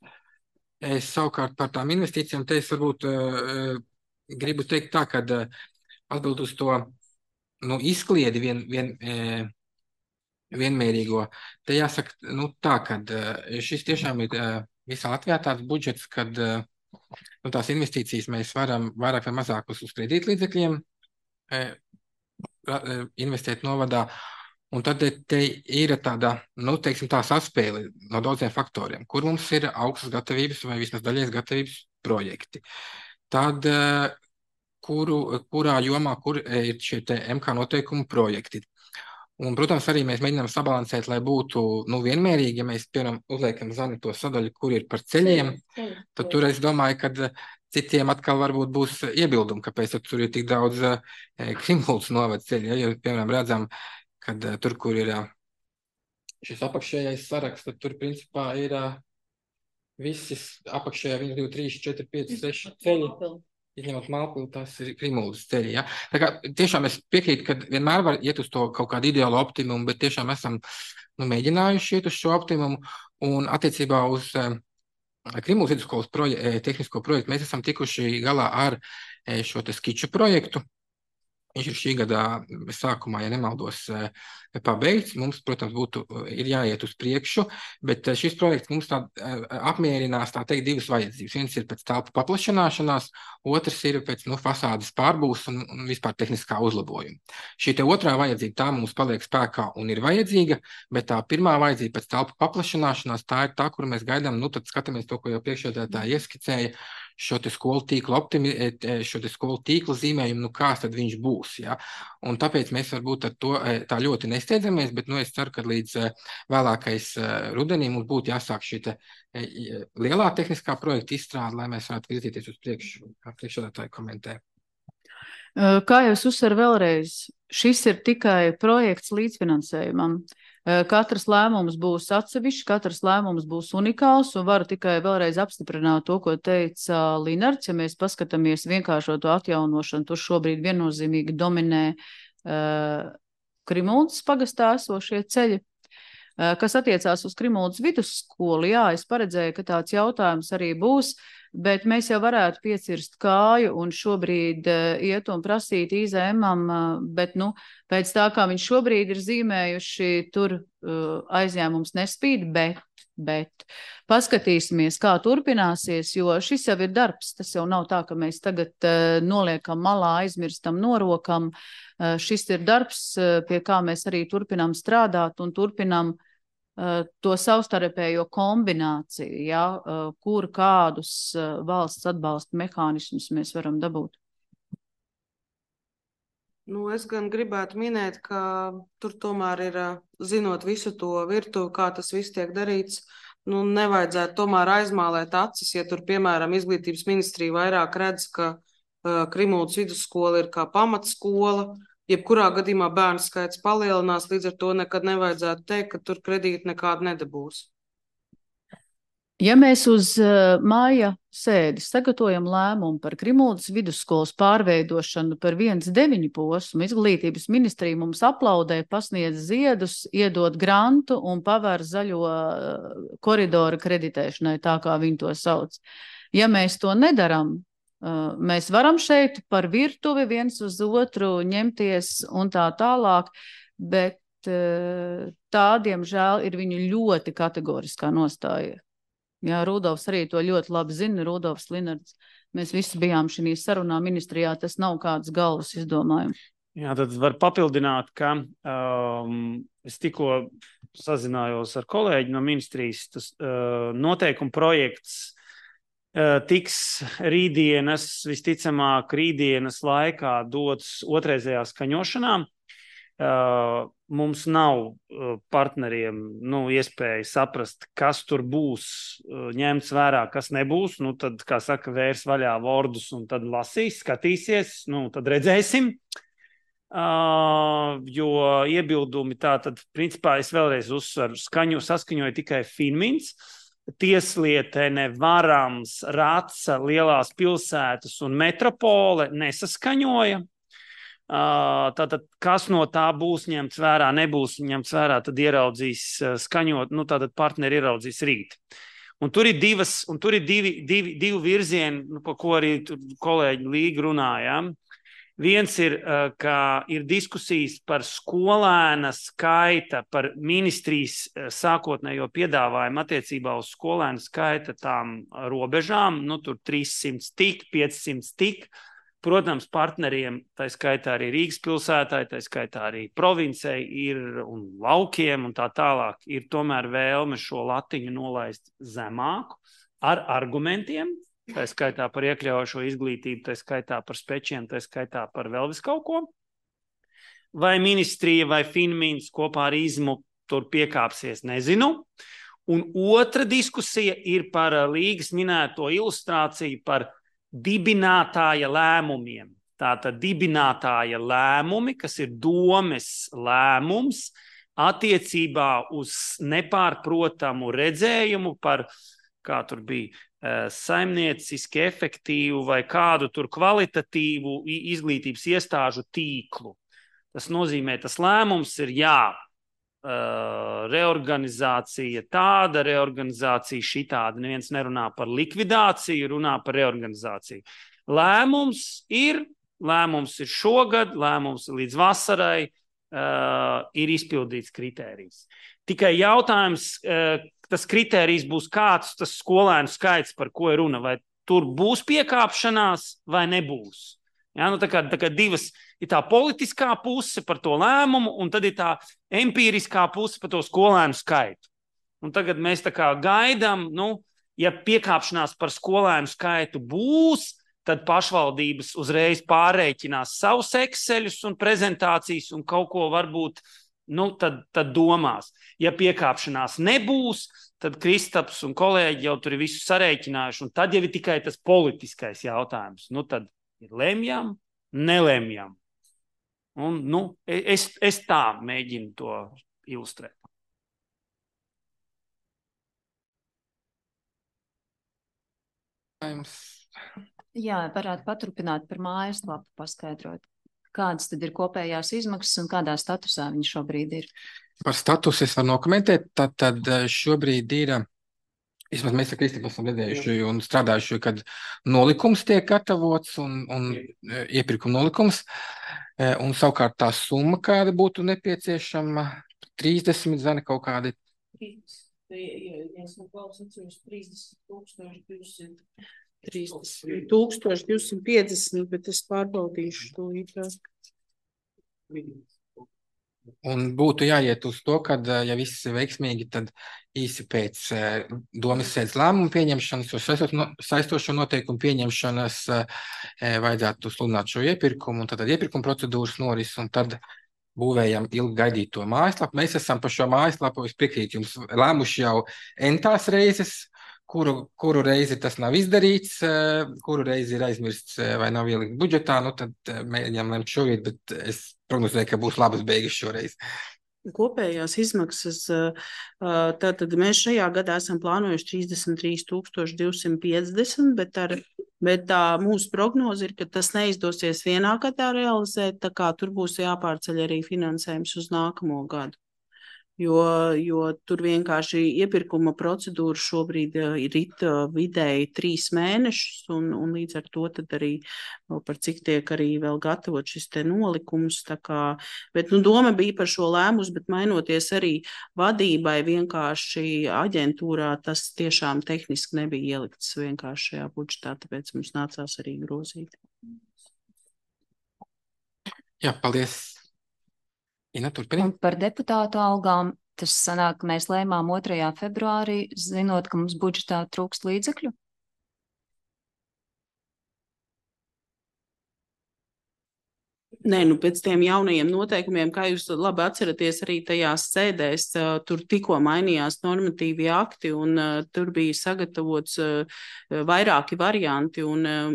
Es savukārt par tām investīcijām te es varbūt uh, gribu teikt tā, ka uh, atbild uz to nu, izkliedi vien, vien, uh, vienmērīgo. Te jāsaka, nu tā, ka uh, šis tiešām ir uh, visā Latvijā tāds budžets, kad uh, nu, tās investīcijas mēs varam vairāk vai mazāk uz, uz kredītlīdzekļiem investēt novadā, un tad te ir tāda, nu, teiksim, tā saspēle no daudziem faktoriem, kur mums ir augstas gatavības vai vismaz daļējas gatavības projekti. Tad, kuru, kurā jomā, kur ir šie te M K noteikumu projekti. Un, protams, arī mēs mēģinām sabalansēt, lai būtu, nu, vienmērīgi, ja mēs, piemēram, uzliekam Zani to sadaļu, kur ir par ceļiem, tad tur es domāju, ka citiem atkal varbūt būs iebildumi, kāpēc tur ir tik daudz uh, Krimuldas novada ceļi. Ja, jo, piemēram, redzam, ka uh, tur, kur ir uh, šis apakšējais saraksts, tad tur, principā, ir uh, visi apakšējā viens, divi, trīs, četri, pieci, seši ceļi. Izņemot Malpilu, tas ir Krimuldas ceļi. Ja? Tā kā tiešām es piekrītu, ka vienmēr var iet uz to kaut kādu ideālu optimumu, bet tiešām esam nu, mēģinājuši iet uz šo optimumu. Un attiecībā uz uh, Krimuldas vidusskolas proje tehnisko projektu mēs esam tikuši galā ar šo te skiču projektu. Viņš ir šī gada sākumā, ja nemaldos, pabeigts. Mums, protams, būtu, ir jāiet uz priekšu, bet šis projekts mums tā apmierinās, tā teikt, divas vajadzības. Viens ir pēc telpu paplašanāšanās, otrs ir pēc nu, fasādes pārbūves un, un vispār tehniskā uzlabojuma. Šī te otrā vajadzība, tā mums paliek spēkā un ir vajadzīga, bet tā pirmā vajadzība pēc telpu paplašanāšanās, tā ir tā, kur mēs gaidām, nu tad skatāmies to, ko jau priekšsēdētāji ieskicēja, šo te skolu tīklu optimi, šo te skolu tīklu zīmējumu, nu kāds tad viņš būs, ja? Un tāpēc mēs varbūt ar to tā ļoti nesteidzamies, bet, nu, es ceru, ka līdz vēlākais rudenī mums būtu jāsāk šī te lielā tehniskā projekta izstrāde, lai mēs varētu virzīties uz priekšu, kā priekšsēdētāji komentē. Kā jau es uzsveru vēlreiz, šis ir tikai projekts līdzfinansējumam. Katrs lēmums būs atsevišķs, katrs lēmums būs unikāls, un varu tikai vēlreiz apstiprināt to, ko teica Linards. Ja mēs paskatāmies vienkāršoto atjaunošanu, tur šobrīd viennozīmīgi dominē uh, Krimuldas pagastā esošie ceļi. Uh, kas attiecās uz Krimuldas vidusskolu, jā, es paredzēju, ka tāds jautājums arī būs, bet mēs jau varētu piecirst kāju un šobrīd uh, iet un prasīt I Z M-am, uh, bet, nu, pēc tā, kā viņš šobrīd ir zīmējuši, tur uh, aizņēmums nespīd, bet, bet paskatīsimies, kā turpināsies, jo šis jau ir darbs, tas jau nav tā, ka mēs tagad uh, noliekam malā, aizmirstam, norokam. Uh, šis ir darbs, uh, pie kā mēs arī turpinām strādāt un turpinām to savstarpējo kombināciju, ja, kur kādus valsts atbalsta mehānismus mēs varam dabūt. Nu, es gan gribētu minēt, ka tur tomēr ir, zinot visu to virtuvi, kā tas viss tiek darīts, nu, nevajadzētu tomēr aizmālēt acis, ja tur, piemēram, izglītības ministrija vairāk redz, ka uh, Krimuldas vidusskola ir kā pamatskola, jebkurā gadījumā bērnu skaits palielinās, līdz ar to nekad nevajadzētu teikt, ka tur kredīti nekādu nedabūs. Ja mēs uz uh, māja sēdi sagatavojam lēmumu par Krimuldas vidusskolas pārveidošanu par viens deviņi posmu, izglītības ministrija mums aplaudē, pasniedz ziedus, iedod grantu un pavēr zaļo uh, koridoru kreditēšanai, tā kā viņi to sauc. Ja mēs to nedaram, Uh, mēs varam šeit par virtuvi viens uz otru ņemties un tā tālāk, bet uh, tā, diemžēl, ir viņu ļoti kategoriskā nostāja. Jā, Rudolfs arī to ļoti labi zina, Rudolfs Linards. Mēs visi bijām šī sarunā ministrijā, tas nav kāds galvas izdomājums. Jā, tad var papildināt, ka um, es tikko sazinājos ar kolēģi no ministrijas, tas uh, noteikuma projekts tiks rītdienas, visticamāk rītdienas laikā dots otrreizējā skaņošanā. Uh, mums nav uh, partneriem nu, iespēja saprast, kas tur būs uh, ņemts vērā, kas nebūs. Nu, tad, kā saka, vērs vaļā vordus un tad lasīs, skatīsies, nu, tad redzēsim. Uh, jo iebildumi tā tad, principā, es vēlreiz uzsveru, skaņu, saskaņoju tikai Finmins, Tieslietene, Varams, Raca, lielās pilsētas un metropole nesaskaņoja. Uh, tātad, kas no tā būs ņemts vērā, nebūs ņemts vērā, tad ieraudzīs uh, skaņot, nu tātad partneri ieraudzīs rīt. Un tur ir divas, un tur ir divi, divi, divi virzieni, nu, pa ko arī kolēģi Līga runājām. Viens ir, uh, ka ir diskusijas par skolēna skaita, par ministrijas uh, sākotnējo piedāvājumu attiecībā uz skolēna skaita tām robežām, nu tur trīssimts tik, piecsimt tik. Protams, partneriem, tā skaitā arī Rīgas pilsētai, tā skaitā arī provincei ir un laukiem un tā tālāk, ir tomēr vēlme šo latiņu nolaist zemāku ar argumentiem, tā skaitā par iekļaujošo izglītību, tā skaitā par spečiem, tā skaitā par vēl vis kaut ko. Vai ministrija vai Finmins kopā ar Izmu tur piekāpsies, nezinu. Un otra diskusija ir par Līgas minēto ilustrāciju par dibinātāja lēmumiem. Tātad dibinātāja lēmumi, kas ir domes lēmums attiecībā uz nepārprotamu redzējumu par, kā tur bija, saimnieciski efektīvu vai kādu tur kvalitatīvu izglītības iestāžu tīklu. Tas nozīmē, tas lēmums ir jā, reorganizācija tāda, reorganizācija šitāda. Neviens nerunā par likvidāciju, runā par reorganizāciju. Lēmums ir, lēmums ir šogad, lēmums līdz vasarai uh, ir izpildīts kritērijs. Tikai jautājums, uh, tas kritērijs būs kāds, tas skolēnu skaits, par ko ir runa, vai tur būs piekāpšanās vai nebūs. Ja, nu, tā kā, tā kā divas ir tā politiskā puse par to lēmumu, un tad ir tā empiriskā puse par to skolēnu skaitu. Un tagad mēs tā kā gaidām, nu, ja piekāpšanās par skolēnu skaitu būs, tad pašvaldības uzreiz pārreikinās savus Exceļus un prezentācijas un kaut ko varbūt, nu, tad, tad domās. Ja piekāpšanās nebūs, tad Kristaps un kolēģi jau tur ir visu sareiķinājuši, un tad jau ir tikai tas politiskais jautājums. Nu, tad ir lemjam, nelemjam. Un, nu, es, es tā mēģinu to ilustrēt. Jā, varētu paturpināt par mājaslapu, paskaidrot, kādas tad ir kopējās izmaksas un kādā statusā viņi šobrīd ir. Par statusu es varu nokomentēt, tad, tad šobrīd ir, vismaz mēs ar Kristipu esam redzējuši un strādājuši, kad nolikums tiek gatavots un, un iepirkuma nolikums, un savukārt tā summa, kāda būtu nepieciešama, trīsdesmit zani kaut kādi. trīsdesmit tūkstoši divsimt piecdesmit, bet es pārbaudīšu to īpaši. Un būtu jāiet uz to, ka, ja viss ir veiksmīgi, tad īsi pēc domas sēdes lēmumu pieņemšanas, saistošo noteikumu pieņemšanas vajadzētu sludināt šo iepirkumu, un tad iepirkuma procedūras noris, un tad būvējam ilgi gaidīto mājaslapu. Mēs esam par šo mājaslapu, es piekrītu jums, lēmuši jau entās reizes, kuru, kuru reizi tas nav izdarīts, kuru reizi ir aizmirsts vai nav ielikt budžetā, nu tad mēģinām lemt šobrīd, bet es prognozēju, ka būs labas beigas šoreiz. Kopējās izmaksas, tātad mēs šajā gadā esam plānojuši trīsdesmit trīs tūkstoši divsimt piecdesmit, bet, ar, bet tā mūsu prognoze ir, ka tas neizdosies vienā gadā realizēt, tā kā tur būs jāpārceļ arī finansējums uz nākamo gadu. Jo, jo tur vienkārši iepirkuma procedūra šobrīd ir it vidēji trīs mēnešus, un, un līdz ar to tad arī par cik tiek arī vēl gatavot šis te nolikums. Tā kā, bet nu, doma bija par šo lēmus, bet mainoties arī vadībai vienkārši aģentūrā, tas tiešām tehniski nebija ielikts vienkārši šajā budžetā, tāpēc mums nācās arī grozīt. Jā, paldies. Ina, un par deputātu algām, tas sanāk, ka mēs lēmām otrajā februārī, zinot, ka mums budžetā trūkst līdzekļu? Nē, nu pēc tiem jaunajiem noteikumiem, kā jūs labi atceraties, arī tajās sēdēs, uh, tur tikko mainījās normatīvi akti un uh, tur bija sagatavots uh, vairāki varianti un uh,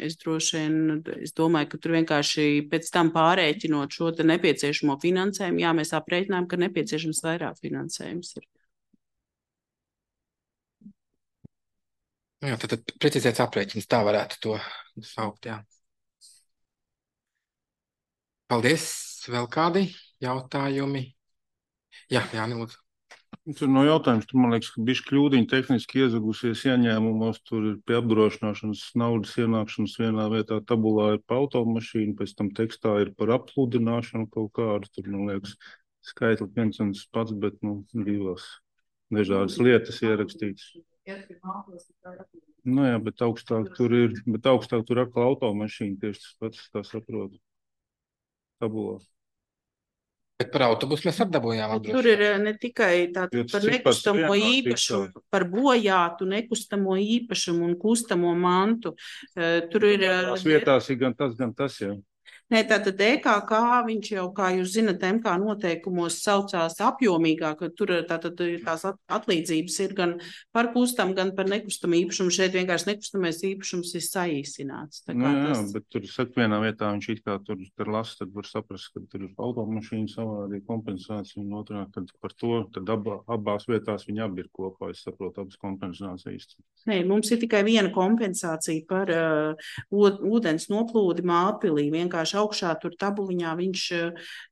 es droši vien, es domāju, ka tur vienkārši pēc tam pārēķinot šo te nepieciešamo finansējumu, jā, mēs aprēķinām, ka nepieciešams vairāk finansējums ir. Jā, tad, tad precizēts aprēķins, tā varētu to saukt, jā. Paldies. Vēl kādi jautājumi? Jā, Jāni, lūdzu. Tur no jautājums, tur man liekas, ka bišķi kļūdiņi tehniski iezagusies ieņēmumos, tur ir pie apdrošināšanas naudas ienākšanas vienā vietā tabulā ir pa automašīnu, pēc tam tekstā ir par apludināšanu kaut kādu, tur, man liekas, skaitli viens un tas pats, bet, nu, divas dažādas lietas ierakstītas. Nu jā, bet augstāk tur ir, bet augstāk tur atkal automašīna tieši tas pats, tā saprotu. Tabulā. Bet par autobusu mēs atdabūjām apdrošināšanu. Tur ir ne tikai tātad par nekustamo īpašumu, par bojātu nekustamo īpašumu un kustamo mantu. Tur ir... Tās vietās ir gan tas, gan tas, jā. Nē, tātad E K K, viņš jau, kā jūs zinat, M K noteikumos saucās apjomīgāk, ka tur tātad tās atlīdzības ir gan par kustam, gan par nekustamu īpašumu. Šeit vienkārši nekustamais īpašums ir saīsināts. Tā kā nu, jā, tas... bet tur saka vienā vietā, viņš it kā tur, tur lasa, tad var saprast, ka tur ir automašīna savādi kompensācija, un otrā, kad par to, tad abā, abās vietās viņi abi ir kopā, es saprotu, abas kompensācijas. Nē, mums ir tikai viena kompensācija par uh, ūdens noplūdi Mālpilī, vienkārši augšā tur tabuliņā viņš,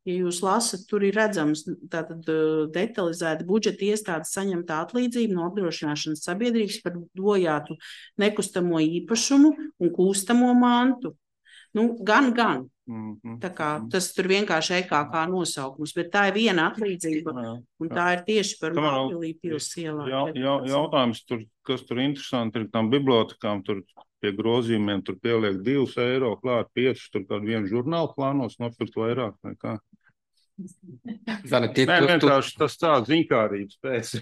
ja jūs lasat, tur ir redzams tātad detalizēti budžeta iestādes saņemtā atlīdzība no apdrošināšanas sabiedrības par bojātu nekustamo īpašumu un kustamo mantu. Nu, gan, gan. Mm-hmm. Tā kā tas tur vienkārši E K K nosaukums, bet tā ir viena atlīdzība un tā ir tieši par Mālpilī pils ielā. Jā, jā, jautājums, tur, kas tur interesanti ir tam bibliotekām, tur pie grozījumiem tur pieliek divus eiro, klāt piecus, tur kādu vienu žurnālu plānos nopirkt vairāk nekā. Zani, tie, Nē, tu, vienkārši tas tā ziņkārības pēc.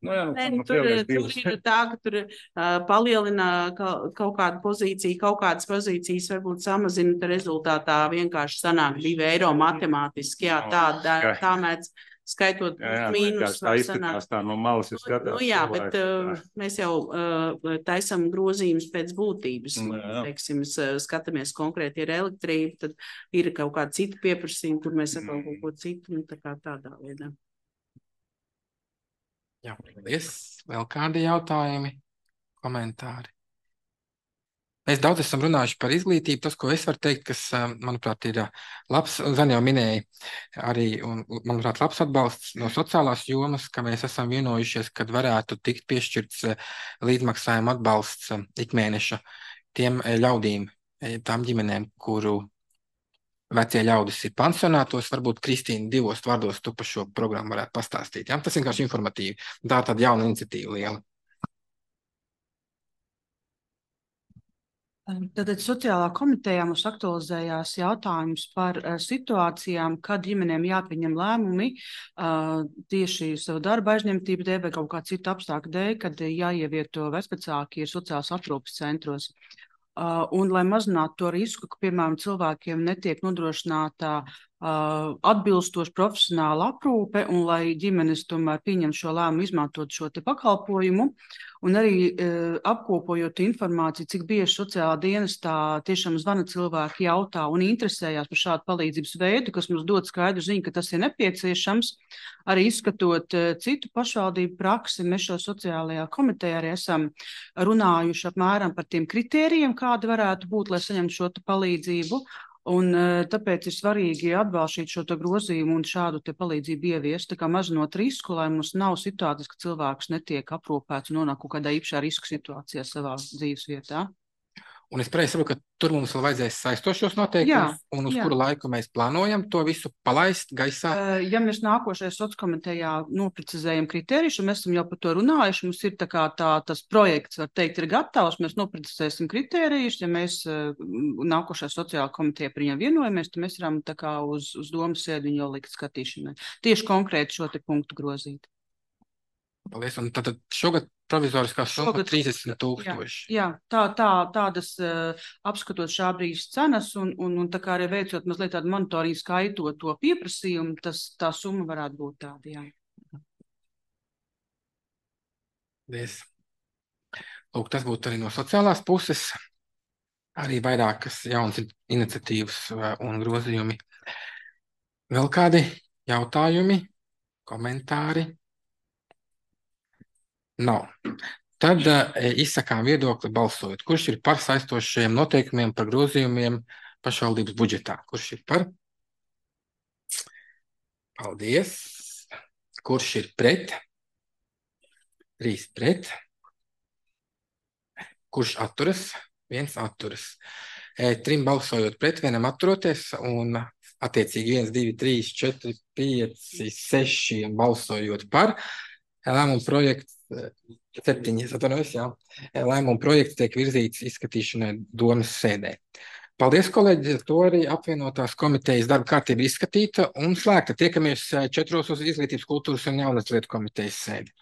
Nu, jā, Nē, nu, tur, tur ir tā, ka tur uh, palielina ka, kaut kādu pozīciju, kaut kādas pozīcijas varbūt samazina, tad rezultātā vienkārši sanāk divi eiro matemātiski. Jā, tā, tā, tā mēdz skaitot jā, jā, mīnus. Tā izskatās tā no malas, es skatās. Nu, jā, bet uh, mēs jau uh, taisam grozījumus pēc būtības. Jā, jā. Teiksim, skatāmies konkrēti ir elektrība, tad ir kaut kāda cita pieprasījuma, kur mēs atkal kaut ko citu, un tā kā tādā veidā. Jā, paldies. Vēl kādi jautājumi, komentāri? Mēs daudz esam runājuši par izglītību. Tas, ko es varu teikt, kas, manuprāt, ir labs, Zani jau minēja arī, un, manuprāt, labs atbalsts no sociālās jomas, ka mēs esam vienojušies, kad varētu tikt piešķirts līdzmaksājuma atbalsts ikmēneša tiem ļaudīm, tām ģimenēm, kuru vecie ļaudis ir pansionātos. Varbūt Kristīna divos vārdos tu par šo programmu varētu pastāstīt. Ja? Tas vienkārši informatīvi. Tā ir tāda jauna iniciatīva liela. Tātad sociālā komitejā mums aktualizējās jautājums par uh, situācijām, kad ģimenēm jāpieņem lēmumi uh, tieši savu darba aizņemtību dēļ vai kaut kā citu apstākļu dēļ, kad jāievieto vecvecāki ir sociālās aprūpes centros. Uh, un, lai mazinātu to risku, ka, piemēram, cilvēkiem netiek nodrošināta uh, atbilstoša profesionāla aprūpe, un lai ģimenes tomēr pieņem šo lēmumu izmantot šo te pakalpojumu, un arī uh, apkopojot informāciju, cik bieži sociālā dienestā tiešām zvana cilvēki, jautā un interesējās par šādu palīdzības veidu, kas mums dod skaidru ziņu, ka tas ir nepieciešams. Arī izskatot uh, citu pašvaldību praksi, mēs šo sociālajā komitejā arī esam runājuši apmēram par tiem kritērijiem, kādi varētu būt, lai saņemtu šo palīdzību. Un tāpēc ir svarīgi atbalstīt šo grozījumu un šādu te palīdzību ieviest, tā kā mazinot risku, lai mums nav situācijas, ka cilvēks netiek aprūpēts un nonāk kaut kādā īpašā riska situācijā savā dzīves vietā. Un es pareizi saprotu, ka tur mums vēl vajadzēs saistošos noteikumus, un uz jā. kuru laiku mēs plānojam to visu palaist gaisā? Ja mēs nākošajā sociālkomitejā noprecizējam kritērijus, un mēs esam jau par to runājuši, mums ir tā kā tā, tas projekts, var teikt, ir gatavs, mēs noprecizēsim kritērijus, ja mēs nākošajā sociālkomitejā par viņiem vienojamies, tad mēs varam tā kā uz, uz domas sēdi viņu jau likt skatīšanai. Tieši konkrēti šo te punktu grozīt. Paldies, un tad šogad provizoriskā summa Šogad- trīsdesmit tūkstoši. Jā, tā, tā, tādas uh, apskatot šā brīža cenas un, un, un tā kā arī veicot mazliet tādu monitoringu, skaitot to pieprasījumu, tas tā summa varētu būt tāda, jā. Paldies. Lūk, tas būtu arī no sociālās puses. Arī vairākas jaunas iniciatīvas un grozījumi. Vēl kādi jautājumi, komentāri? Nav. Tad uh, izsakām viedokli balsojot. Kurš ir par saistošajiem noteikumiem par grozījumiem pašvaldības budžetā? Kurš ir par? Paldies. Kurš ir pret? Trīs pret. Kurš atturas? Viens atturas. E, trim balsojot pret, vienam atturoties un attiecīgi viens, divi, trīs, četri, pieci, seši balsojot par. Lēmuma projekts, septiņi, atvainojos, jā. Lēmuma projekts tiek virzīts izskatīšanai domas sēdē. Paldies, kolēģi, to arī apvienotās komitejas darba kārtība izskatīta un slēgta. Tiekamies četros uz izglītības, kultūras un jaunas lietu komitejas sēdi.